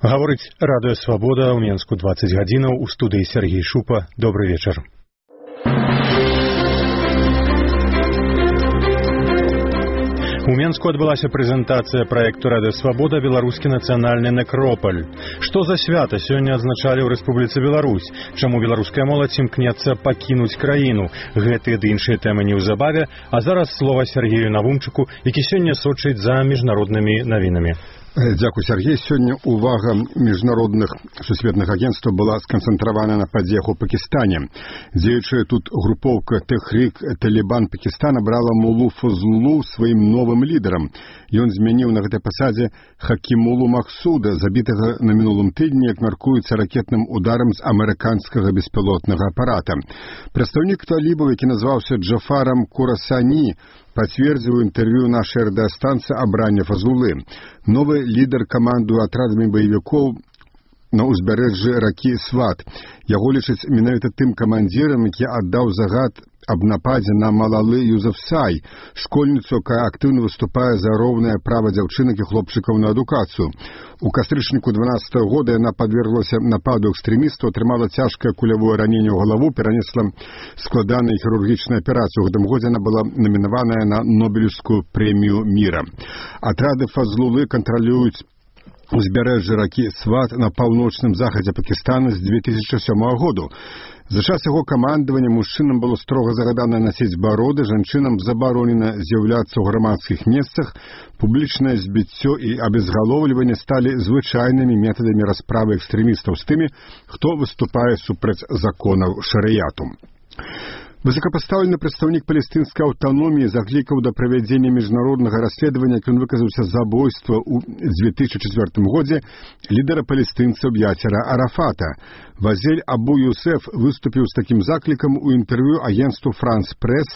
Гаворыць радыё Свабода ў Менску 20 гадзінаў, у студыі Сергей Шупа. Добры вечар. У Менску адбылася прэзентацыя праекту радыё Свабода «Беларускі нацыянальны некропаль». Што за свята сёння адзначалі ў Рэспубліцы Беларусь? Чаму беларуская моладзь імкнецца пакінуць краіну? Гэтыя ды іншыя тэмы неўзабаве, а зараз слова Сергею Навумчыку, які сёння сочыць за міжнароднымі навінамі. Дзякуй, Сергей. Сёння увага міжнародных сусветных агентстваў была сканцэнтравана на падзеях у Пакістане. Дзеючая тут групоўка Тэхрік-Талібан Пакістана брала Мулу Фазлулу сваім новым лідарам. Ён змяніў на гэтай пасадзе Хакімулу Махсуда, забітага на мінулым тыдні, як мяркуецца, ракетным ударам з амерыканскага беспілотнага апарата. Прадстаўнік талібаў, які назваўся Джафарам Курасані, пацвердзіў інтэрв'ю нашай радыёстанцыі абрання Фазлулы. Новы лідар камандуе атрадамі баевікоў на ўзбярэжжы ракі Сват. Яго лічаць менавіта тым камандзірам, які аддаў загад аб нападзе на Малалы Юзафзай, школьніцу, якая актыўна выступае за роўнае права дзяўчынак і хлопчыкаў на адукацыю. У кастрычніку 12-го года яна падверглася нападу экстрэмістаў, атрымала цяжкае кулявое раненне ў галаву, перанесла складаную хірургічную аперацыю. У гэтым годзе яна была намінаваная на Нобелевскую прэмію міра. Атрады Фазлулы кантралююць узбярэжжа ракі Сват на паўночным захадзе Пакістана з 2007 года. За час яго камандавання мужчынам было строга загадана насіць бароды, жанчынам забаронена з'яўляцца ў грамадскіх месцах, публічнае збіццё і абезгалоўліванне сталі звычайнымі метадамі расправы экстрэмістаў з тымі, хто выступае супраць законаў шарыяту. Высокапастаўлены прадстаўнік палестынскай аўтаноміі заклікаў да правядзення міжнароднага расследавання, як ён выказаўся, забойства ў 2004 годзе лідара палестынцаў Ясера Арафата. Вазель Абу Юсеф выступіў з такім заклікам у інтэрв'ю агенцтву «Франс Прэс»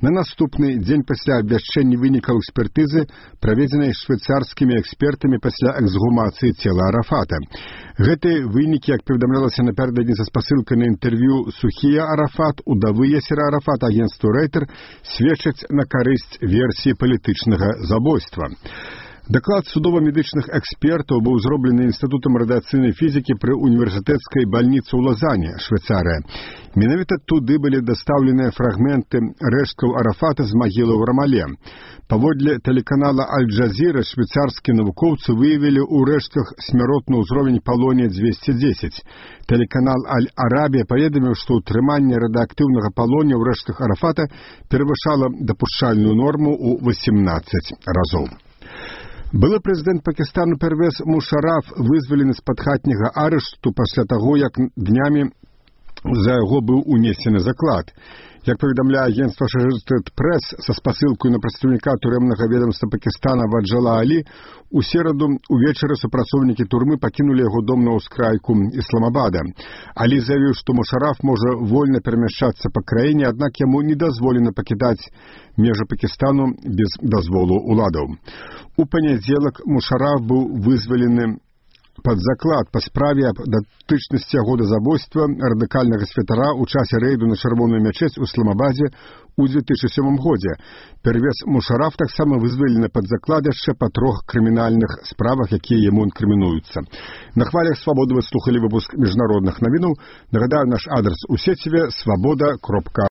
на наступны дзень пасля абвяшчэння вынікаў экспертызы, праведзенай швейцарскімі экспертамі пасля эксгумацыі цела Арафата. Гэтыя вынікі, як паведамлялася напярэдадні са спасылкай на інтэрв'ю Сухія Арафат, удавы Ясера Арафата агенцтву «Рэйтер», сведчаць на карысць версіі палітычнага забойства. Даклад судова-медычных экспертаў быў зроблены Інстытутам радыацыйнай фізікі пры універсітэцкай бальніцы ў Лазане, Швейцарыя. Менавіта туды былі дастаўленыя фрагменты рэшткаў Арафата з магілы ў Рамале. Паводле тэлеканала Аль-Джазіра швейцарскія навукоўцы выявілі ў рэштках смяротны ўзровень палонія-210. Тэлеканал Аль-Арабія паведаміў, што ўтрыманне радыактыўнага палонія ў рэштках Арафата перавышала дапушчальную норму ў 18 разоў. Былы прэзідэнт Пакістану Первез Мушараф вызвалены з-пад хатняга арышту пасля таго, як днямі за яго быў унесены заклад. Як паведамляе агенцтва Associated Press са спасылкаю на прадстаўніка турэмнага ведамства Пакістана Ваджала Алі, у сераду увечары супрацоўнікі турмы пакінулі яго дом на ўскрайку Ісламабада. Алі заявіў, што Мушараф можа вольна перамяшчацца па краіне, аднак яму не дазволена пакідаць межы Пакістану без дазволу ўладаў. У панядзелак Мушараф быў вызвалены пад заклад па справе аб датычнасці яго да забойства радыкальнага святара ў часе рэйду на чырвоную мячэць у Ісламабадзе ў 2007 годзе. Первез Мушараф таксама вызвалены пад заклад яшчэ па 3 крымінальных справах, якія яму інкрымінуюцца. На хвалях Свабоды вы слухалі выпуск міжнародных навінаў. Нагадаю, наш адрес у сеціве свабода.орг.